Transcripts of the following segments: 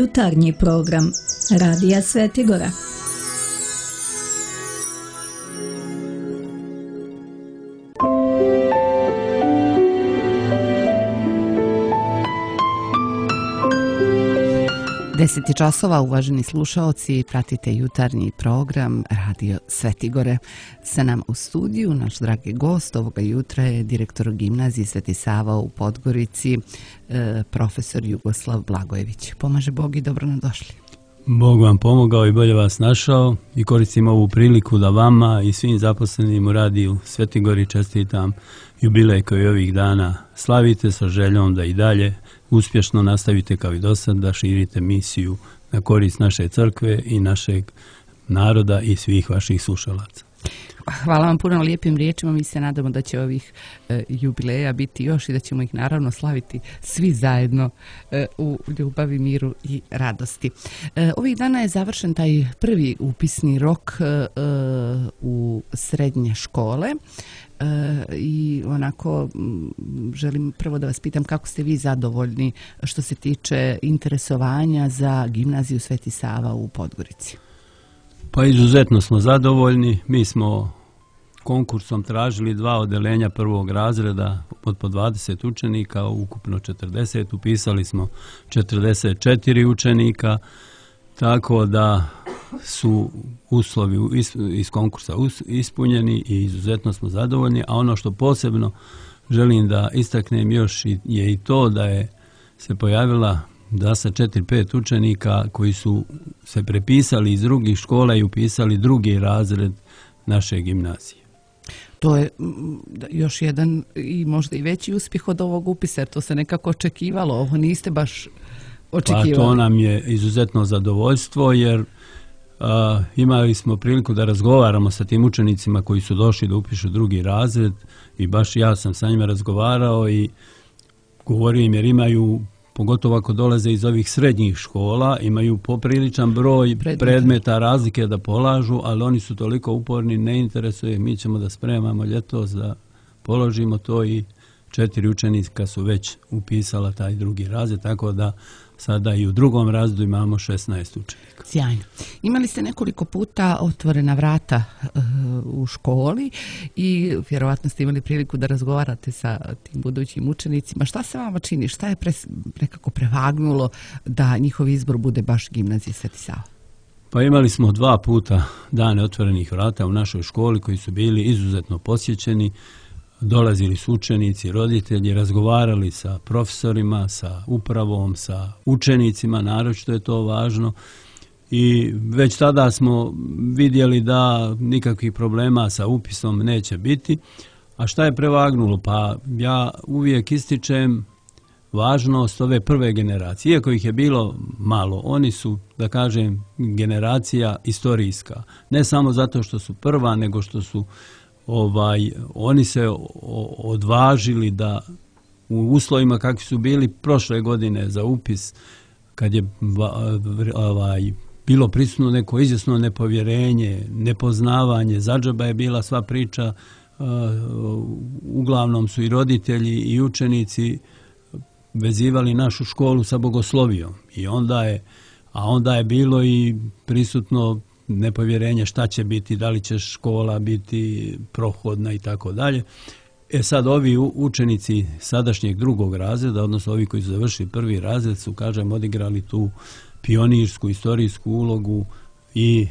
Jutarnji program Radija Svetigora. Deset časova, uvaženi slušaoci, pratite jutarnji program Radio Svetigore. Sa nam u studiju naš dragi gost ovoga jutra je direktor gimnazije Sveti Sava u Podgorici, profesor Jugoslav Blagojević. Pomaže Bog i dobro nam došli. Bog vam pomogao i bolje vas našao i koristim ovu priliku da vama i svim zaposlenim u Radiju Svetigori čestitam jubilej koji ovih dana slavite sa željom da i dalje uspješno nastavite kao i do sad da širite misiju na korist naše crkve i našeg naroda i svih vaših slušalaca. Hvala vam puno lijepim riječima. Mi se nadamo da će ovih jubileja biti još i da ćemo ih naravno slaviti svi zajedno u ljubavi, miru i radosti. Ovih dana je završen taj prvi upisni rok u srednje škole. I onako želim prvo da vas pitam kako ste vi zadovoljni što se tiče interesovanja za gimnaziju Sveti Sava u Podgorici. Pa izuzetno smo zadovoljni. Mi smo konkursom tražili 2 odeljenja prvog razreda od po 20 učenika, ukupno 40. Upisali smo 44 učenika, tako da su uslovi iz konkursa ispunjeni i izuzetno smo zadovoljni. A ono što posebno želim da istaknem još je i to da je se pojavila da sa 4-5 učenika koji su se prepisali iz drugih škola i upisali drugi razred naše gimnazije. To je još jedan i možda i veći uspjeh od ovog upisa, jer to se nekako očekivalo. Ovo niste baš očekivali. Pa to nam je izuzetno zadovoljstvo, jer imali smo priliku da razgovaramo sa tim učenicima koji su došli da upišu drugi razred i baš ja sam sa njima razgovarao i govorio im jer imaju, pogotovo ako dolaze iz ovih srednjih škola, imaju popriličan broj predmeta razlike da polažu, ali oni su toliko uporni, ne interesuje, mi ćemo da spremamo ljetos da položimo to i 4 učenika su već upisala taj drugi razred, tako da sada i u drugom razredu imamo 16 učenika. Sjajno. Imali ste nekoliko puta otvorena vrata u školi i vjerovatno ste imali priliku da razgovarate sa tim budućim učenicima. Šta se vama čini? Šta je nekako prevagnulo da njihov izbor bude baš gimnazija Sveti Sava? Pa imali smo 2 puta dane otvorenih vrata u našoj školi koji su bili izuzetno posjećeni. Dolazili su učenici, roditelji, razgovarali sa profesorima, sa upravom, sa učenicima, naročito je to važno. I već tada smo vidjeli da nikakvih problema sa upisom neće biti. A šta je prevagnulo? Pa ja uvijek ističem važnost ove prve generacije. Iako ih je bilo malo, oni su, da kažem, generacija istorijska. Ne samo zato što su prva, nego što su oni se odvažili da u uslovima kakvi su bili prošle godine za upis, kad je bilo prisutno neko izvjesno nepovjerenje, nepoznavanje, zadžaba je bila sva priča, uglavnom su i roditelji i učenici vezivali našu školu sa bogoslovijom. Onda je bilo i prisutno nepovjerenje šta će biti, da li će škola biti prohodna i tako dalje. Sad ovi učenici sadašnjeg drugog razreda, odnosno ovi koji su završili prvi razred su, kažem, odigrali tu pionirsku, istorijsku ulogu i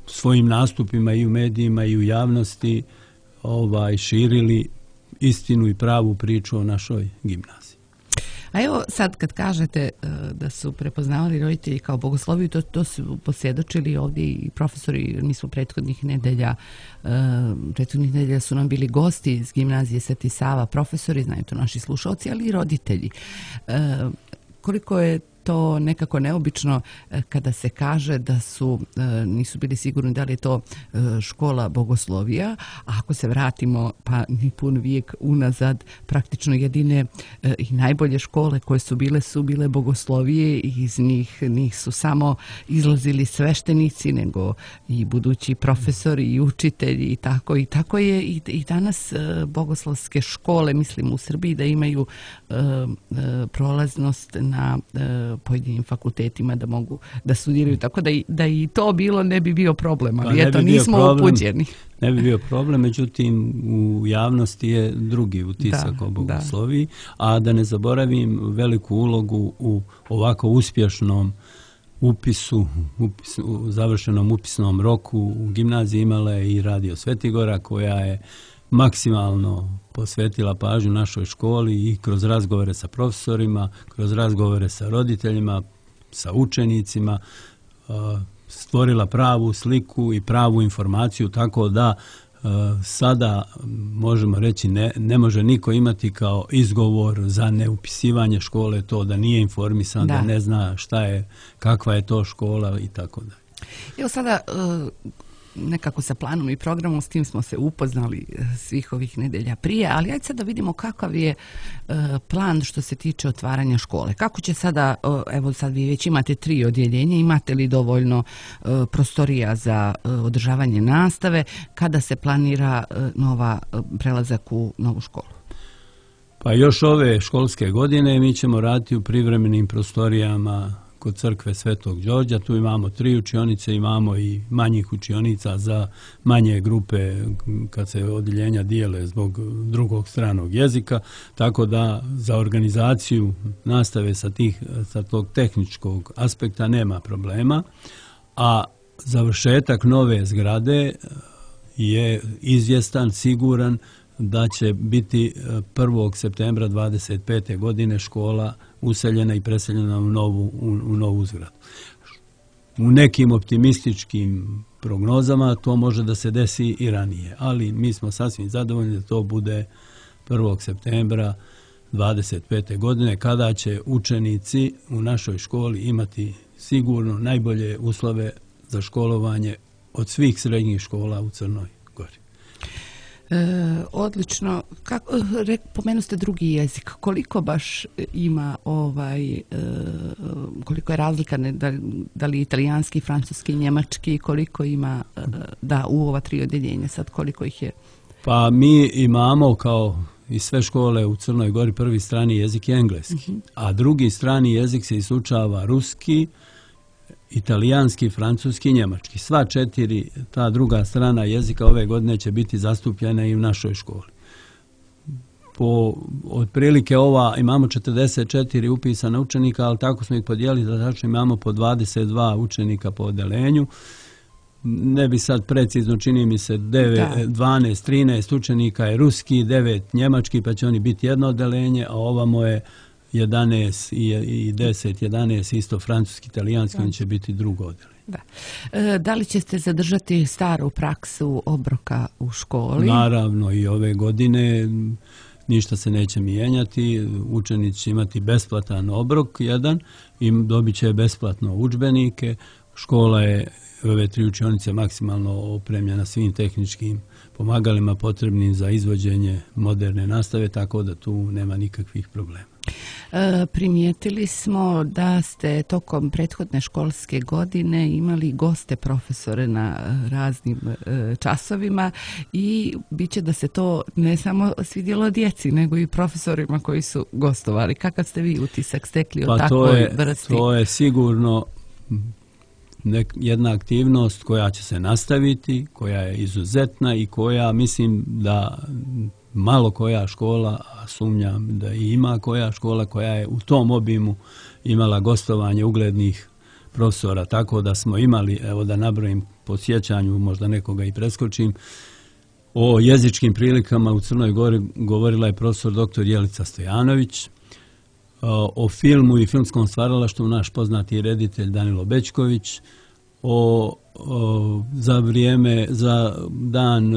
svojim nastupima i u medijima i u javnosti širili istinu i pravu priču o našoj gimnaziji. A evo sad kad kažete da su prepoznavali roditelji kao bogosloviju, to su posvjedočili ovdje i profesori. Mi smo prethodnih nedelja su nam bili gosti iz gimnazije Sveti Sava, profesori, znaju to naši slušalci, ali i roditelji. Koliko je to nekako neobično kada se kaže da nisu bili sigurni da li je to škola bogoslovija, a ako se vratimo pa ni pun vijek unazad, praktično jedine i najbolje škole koje su bile bogoslovije i iz njih nisu samo izlazili sveštenici, nego i budući profesori i učitelji i tako je i danas bogoslovske škole, mislim u Srbiji, da imaju prolaznost na pojedinim fakultetima da mogu da studiraju, tako da i to bilo ne bi bio problem, ali Pa eto nismo upućeni. Ne bi bio problem, međutim u javnosti je drugi utisak o bogosloviji, a da ne zaboravim veliku ulogu u ovako uspješnom završenom upisnom roku u gimnaziji imala je i Radio Svetigora, koja je maksimalno posvetila pažnju našoj školi i kroz razgovore sa profesorima, kroz razgovore sa roditeljima, sa učenicima, stvorila pravu sliku i pravu informaciju, tako da sada možemo reći ne može niko imati kao izgovor za neupisivanje škole to da nije informisan, da ne zna šta je, kakva je to škola i tako dalje. Evo sada nekako sa planom i programom, s tim smo se upoznali svih ovih nedelja prije, ali ajde sad da vidimo kakav je plan što se tiče otvaranja škole. Kako će sada, evo sad vi već imate 3 odjeljenja, imate li dovoljno prostorija za održavanje nastave, kada se planira prelazak u novu školu? Pa još ove školske godine mi ćemo raditi u privremenim prostorijama kod crkve Svetog Đorđa. Tu imamo 3 učionice, imamo i manjih učionica za manje grupe kad se odjeljenja dijele zbog drugog stranog jezika, tako da za organizaciju nastave sa tog tehničkog aspekta nema problema, a završetak nove zgrade je izvjestan, siguran da će biti 1. septembra 25. godine škola useljena i preseljena u novu zgradu. U nekim optimističkim prognozama to može da se desi i ranije, ali mi smo sasvim zadovoljni da to bude 1. septembra 25. godine, kada će učenici u našoj školi imati sigurno najbolje uslove za školovanje od svih srednjih škola u Crnoj Gori. Odlično. Pomenu ste drugi jezik. Koliko baš ima koliko je razlika, da li italijanski, francuski, njemački, koliko ima u ova 3 odjeljenja sad, koliko ih je? Pa mi imamo kao i sve škole u Crnoj Gori prvi strani jezik je engleski, a drugi strani jezik se isučava ruski, italijanski, francuski i njemački. Sva 4 ta druga strana jezika ove godine će biti zastupljena i u našoj školi. Otprilike imamo 44 upisana učenika, ali tako smo ih podijelili da tačno imamo po 22 učenika po odeljenju. Ne bi sad precizno, čini mi se 12, 13 učenika je ruski, 9 njemački, pa će oni biti jedno odeljenje, a ovamo je 11 i 10, 11 isto francuski, italijanski, oni će biti drugo odeljenje. Da li ćete zadržati staru praksu obroka u školi? Naravno, i ove godine ništa se neće mijenjati. Učenici će imati besplatan obrok jedan i dobit će besplatno udžbenike. Škola je ove 3 učionice maksimalno opremljena svim tehničkim pomagalima potrebnim za izvođenje moderne nastave, tako da tu nema nikakvih problema. Primijetili smo da ste tokom prethodne školske godine imali goste profesore na raznim časovima i bit će da se to ne samo svidjelo djeci, nego i profesorima koji su gostovali. Kakav ste vi utisak stekli o takvoj vrsti? To je sigurno jedna aktivnost koja će se nastaviti, koja je izuzetna i koja mislim da malo koja škola, a sumnjam da i ima koja škola koja je u tom obimu imala gostovanje uglednih profesora, tako da smo imali, evo da nabrojim po sjećanju, možda nekoga i preskočim, o jezičkim prilikama u Crnoj Gori govorila je profesor dr. Jelica Stojanović, o filmu i filmskom stvaralaštvu naš poznati reditelj Danilo Bećković, za dan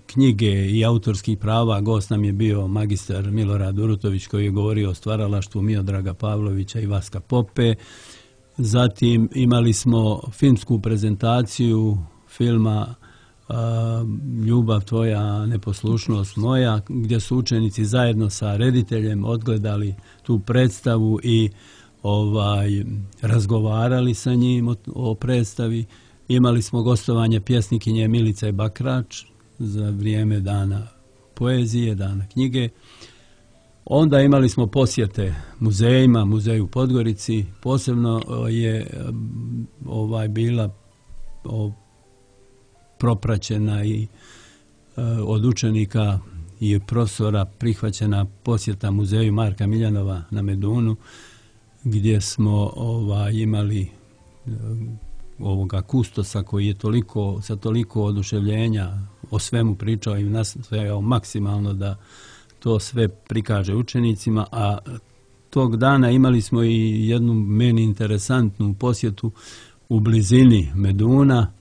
knjige i autorskih prava gost nam je bio magistar Milorad Urutović koji je govorio o stvaralaštvu Miodraga Pavlovića i Vaska Pope. Zatim imali smo filmsku prezentaciju filma Ljubav tvoja, neposlušnost moja, gdje su učenici zajedno sa rediteljem odgledali tu predstavu i razgovarali sa njim o predstavi. Imali smo gostovanje pjesnikinje Milice Bakrač za vrijeme dana poezije, dana knjige. Onda imali smo posjete muzejima, muzeju u Podgorici, posebno je bila propraćena i od učenika i profesora prihvaćena posjeta muzeju Marka Miljanova na Medunu, gdje smo imali ovoga kustosa koji je sa toliko oduševljenja o svemu pričao i nastojao maksimalno da to sve prikaže učenicima, a tog dana imali smo i jednu meni interesantnu posjetu. U blizini Meduna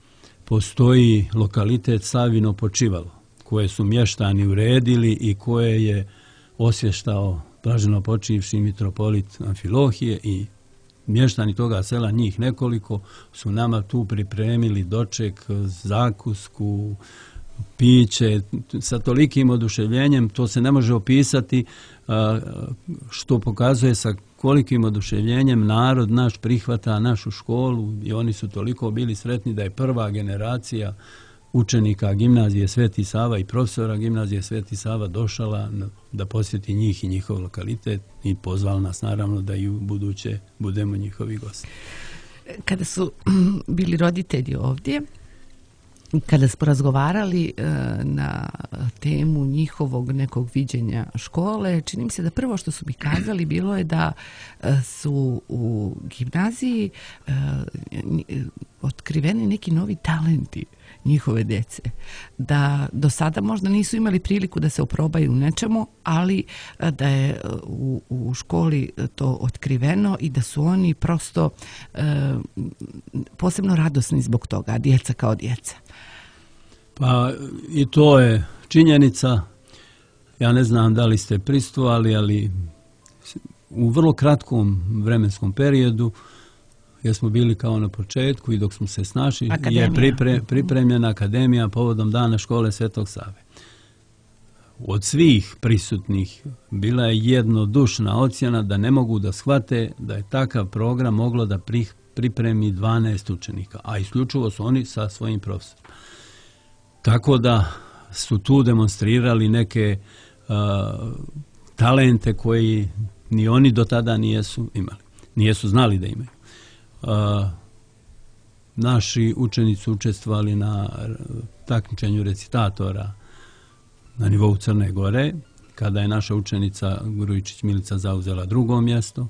postoji lokalitet Savino počivalo, koje su mještani uredili i koje je osvještao blaženo počivši mitropolit Amfilohije, i mještani toga sela, njih nekoliko, su nama tu pripremili doček, zakusku, piće, sa tolikim oduševljenjem, to se ne može opisati, što pokazuje sa kolikim oduševljenjem narod naš prihvata našu školu, i oni su toliko bili sretni da je prva generacija učenika gimnazije Sveti Sava i profesora gimnazije Sveti Sava došla da posjeti njih i njihov lokalitet i pozvala nas naravno da i u buduće budemo njihovi gosti. Kada su bili roditelji ovdje, kada smo razgovarali na temu njihovog nekog viđenja škole, čini mi se da prvo što su mi kazali bilo je da su u gimnaziji otkriveni neki novi talenti njihove djece. Da do sada možda nisu imali priliku da se oprobaju u nečemu, ali da je u školi to otkriveno i da su oni prosto posebno radosni zbog toga, djeca kao djeca. Pa i to je činjenica. Ja ne znam da li ste prisustvovali, ali u vrlo kratkom vremenskom periodu, jer smo bili kao na početku i dok smo se snašli, je pripremljena akademija povodom Dana škole Svetog Save. Od svih prisutnih bila je jednodušna ocjena da ne mogu da shvate da je takav program moglo da pripremi 12 učenika, a isključivo su oni sa svojim profesorom. Tako da su tu demonstrirali neke talente koji ni oni do tada nijesu imali, nijesu znali da imaju. Naši učenici su učestvovali na takmičenju recitatora na nivou Crne Gore, kada je naša učenica Grujičić Milica zauzela drugo mjesto.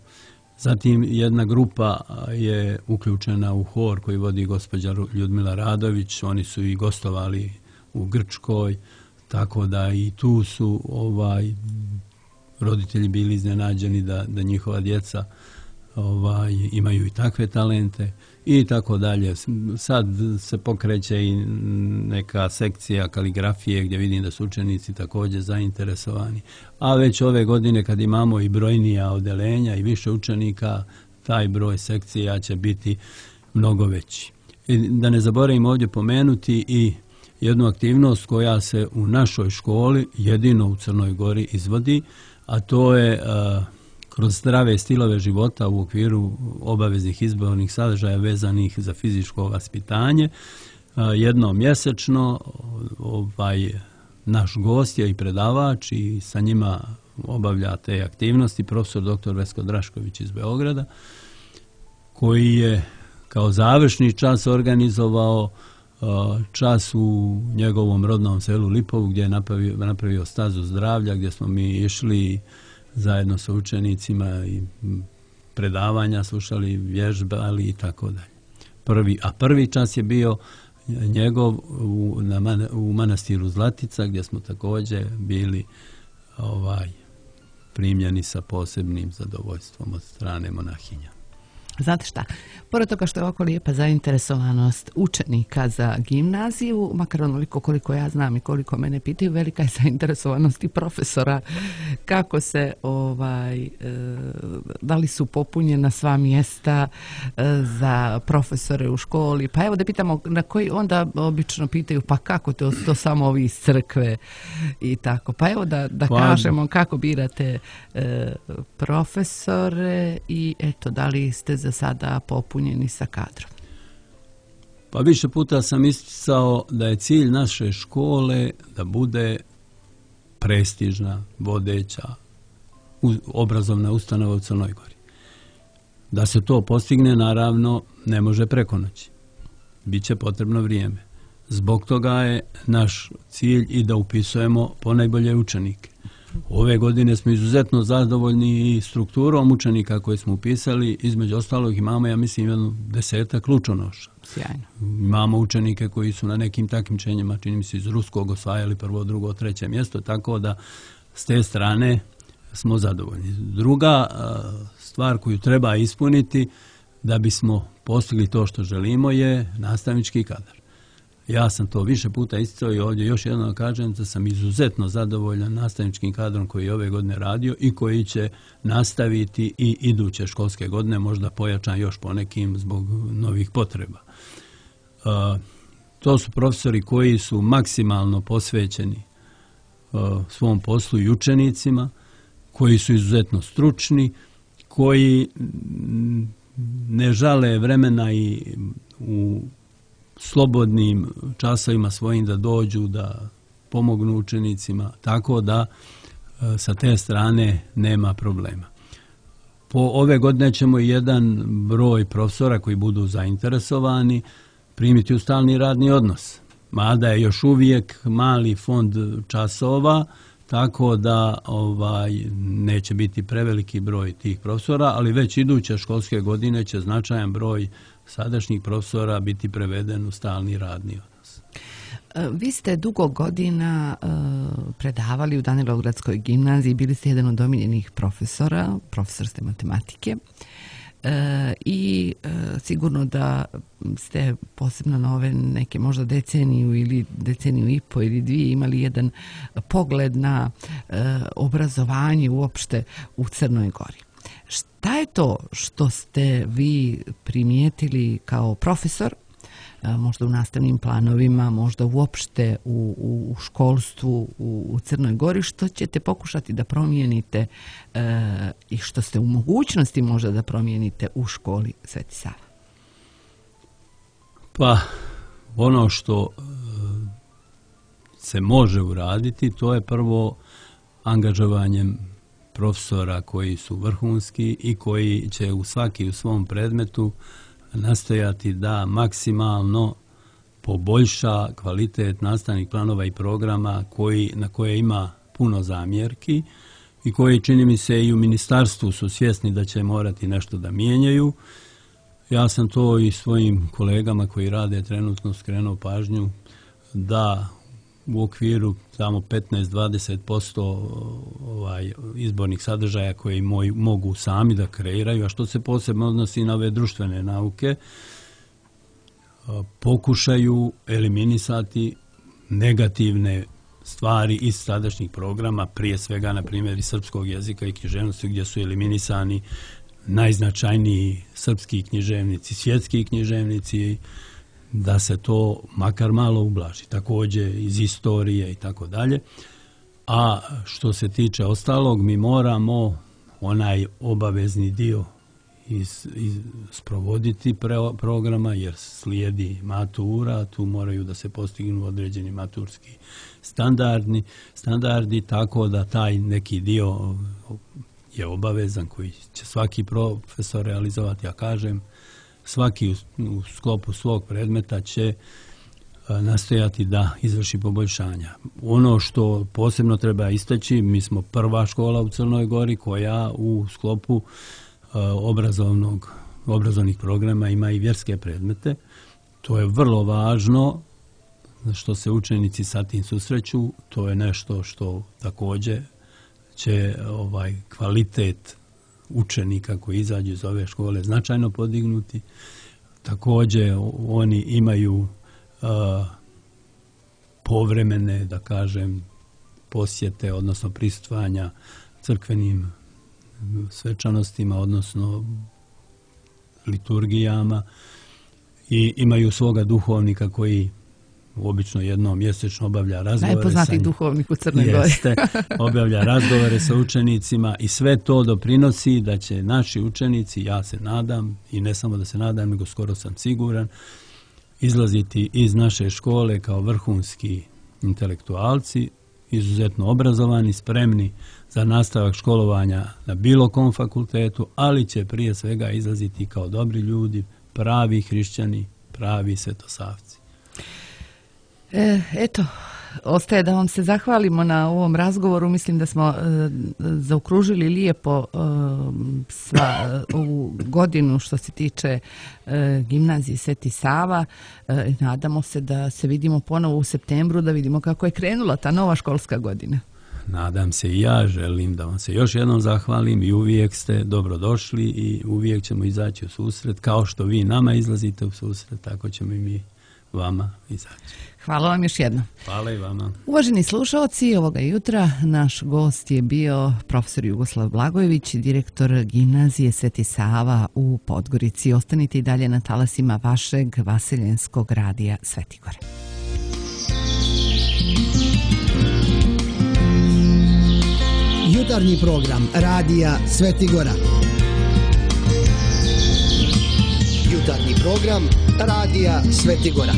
Zatim jedna grupa je uključena u hor koji vodi gospođa Ljudmila Radović, oni su i gostovali u Grčkoj, tako da i tu su roditelji bili iznenađeni da njihova djeca imaju i takve talente i tako dalje. Sad se pokreće i neka sekcija kaligrafije gdje vidim da su učenici također zainteresovani. A već ove godine kad imamo i brojnija odeljenja i više učenika, taj broj sekcija će biti mnogo veći. I da ne zaboravim ovdje pomenuti i jednu aktivnost koja se u našoj školi jedino u Crnoj Gori izvodi, a to je kroz zdrave stilove života u okviru obaveznih izbornih sadržaja vezanih za fizičko vaspitanje. Jednom mjesečno naš gost je i predavač i sa njima obavlja te aktivnosti profesor dr. Vesko Drašković iz Beograda, koji je kao završni čas organizovao čas u njegovom rodnom selu Lipovu, gdje je napravio stazu zdravlja, gdje smo mi išli zajedno sa učenicima i predavanja slušali, vježbali i tako dalje. Prvi čas je bio njegov u manastiru Zlatica, gdje smo također bili primljeni sa posebnim zadovoljstvom od strane monahinja. Znate šta, pored toga što je ovako lijepa zainteresovanost učenika za gimnaziju, makar onoliko koliko ja znam i koliko mene pitaju, velika je zainteresovanost i profesora, kako se, da li su popunjena sva mjesta za profesore u školi. Pa evo da pitamo na koji onda obično pitaju, pa kako to samo ovi iz crkve i tako. Pa evo da kažemo kako birate profesore i eto, da li ste za sada popunjeni sa kadrom? Pa više puta sam isticao da je cilj naše škole da bude prestižna, vodeća obrazovna ustanova u Crnoj Gori. Da se to postigne, naravno, ne može preko noći. Biće potrebno vrijeme. Zbog toga je naš cilj i da upisujemo ponajbolje učenike. Ove godine smo izuzetno zadovoljni i strukturom učenika koje smo upisali. Između ostalog imamo, ja mislim, 10 lučonoša. Sjajno. Imamo učenike koji su na nekim takmičenjima, čini mi se, iz ruskog osvajali 1., 2., 3. mjesto, tako da s te strane smo zadovoljni. Druga stvar koju treba ispuniti da bismo postigli to što želimo je nastavnički kadar. Ja sam to više puta isticao i ovdje još jednom kažem da sam izuzetno zadovoljan nastavničkim kadrom koji je ove godine radio i koji će nastaviti i iduće školske godine, možda pojačan još ponekim zbog novih potreba. To su profesori koji su maksimalno posvećeni svom poslu i učenicima, koji su izuzetno stručni, koji ne žale vremena i u slobodnim časovima svojim da dođu, da pomognu učenicima, tako da sa te strane nema problema. Po ove godine ćemo jedan broj profesora koji budu zainteresovani primiti u stalni radni odnos, mada je još uvijek mali fond časova, tako da neće biti preveliki broj tih profesora, ali već iduće školske godine će značajan broj sadašnjih profesora biti preveden u stalni radni odnos. Vi ste dugo godina predavali u Danilovgradskoj gimnaziji, bili ste jedan od omiljenih profesora, profesor ste matematike i sigurno da ste posebno na ove neke možda deceniju ili deceniju i po ili dvije imali jedan pogled na obrazovanje uopšte u Crnoj Gori. Šta je to što ste vi primijetili kao profesor, možda u nastavnim planovima, možda uopšte u školstvu u Crnoj Gori, što ćete pokušati da promijenite i što ste u mogućnosti možda da promijenite u školi Sveti Sava? Pa, ono što se može uraditi, to je prvo angažovanjem profesora koji su vrhunski i koji će svaki u svom predmetu nastojati da maksimalno poboljša kvalitet nastavnih planova i programa na koje ima puno zamjerki i koji, čini mi se, i u ministarstvu su svjesni da će morati nešto da mijenjaju. Ja sam to i svojim kolegama koji rade trenutno skrenuo pažnju da u okviru samo 15-20% izbornih sadržaja koji mogu sami da kreiraju, a što se posebno odnosi na ove društvene nauke, pokušaju eliminisati negativne stvari iz sadašnjih programa, prije svega, na primjer, iz srpskog jezika i književnosti, gdje su eliminisani najznačajniji srpski književnici, svjetski književnici, da se to makar malo ublaži. Također iz istorije i tako dalje. A što se tiče ostalog, mi moramo onaj obavezni dio sprovoditi programa, jer slijedi matura, tu moraju da se postignu određeni maturski standardi, tako da taj neki dio je obavezan koji će svaki profesor realizovati, ja kažem, svaki u sklopu svog predmeta će nastojati da izvrši poboljšanja. Ono što posebno treba istaći, mi smo prva škola u Crnoj Gori koja u sklopu obrazovnih programa ima i vjerske predmete. To je vrlo važno što se učenici sa tim susreću. To je nešto što također će kvalitet učenika koji izađu iz ove škole značajno podignuti. Također oni imaju povremene, da kažem, posjete, odnosno prisustvovanja crkvenim svečanostima, odnosno liturgijama, i imaju svoga duhovnika koji obično jednom mjesečno obavlja razgovore. Najpoznatiji duhovnik u Crnoj Gori. Jeste, obavlja razgovore sa učenicima i sve to doprinosi da će naši učenici, ja se nadam, i ne samo da se nadam, nego skoro sam siguran, izlaziti iz naše škole kao vrhunski intelektualci izuzetno obrazovani, spremni za nastavak školovanja na bilo kom fakultetu, ali će prije svega izlaziti kao dobri ljudi, pravi hrišćani, pravi svetosavci. Eto, ostaje da vam se zahvalimo na ovom razgovoru. Mislim da smo zaokružili lijepo ovu godinu što se tiče gimnazije Sveti Sava. Nadamo se da se vidimo ponovo u septembru, da vidimo kako je krenula ta nova školska godina. Nadam se i ja, želim da vam se još jednom zahvalim i uvijek ste dobrodošli i uvijek ćemo izaći u susret. Kao što vi nama izlazite u susret, tako ćemo i mi vama izaći. Hvala vam još jednom. Hvala i vama. Uvaženi slušaoci, ovoga jutra naš gost je bio profesor Jugoslav Blagojević, direktor gimnazije Sveti Sava u Podgorici. Ostanite i dalje na talasima vašeg vaseljenskog radija Svetigora. Jutarnji program radija Svetigora. Jutarnji program radija Svetigora.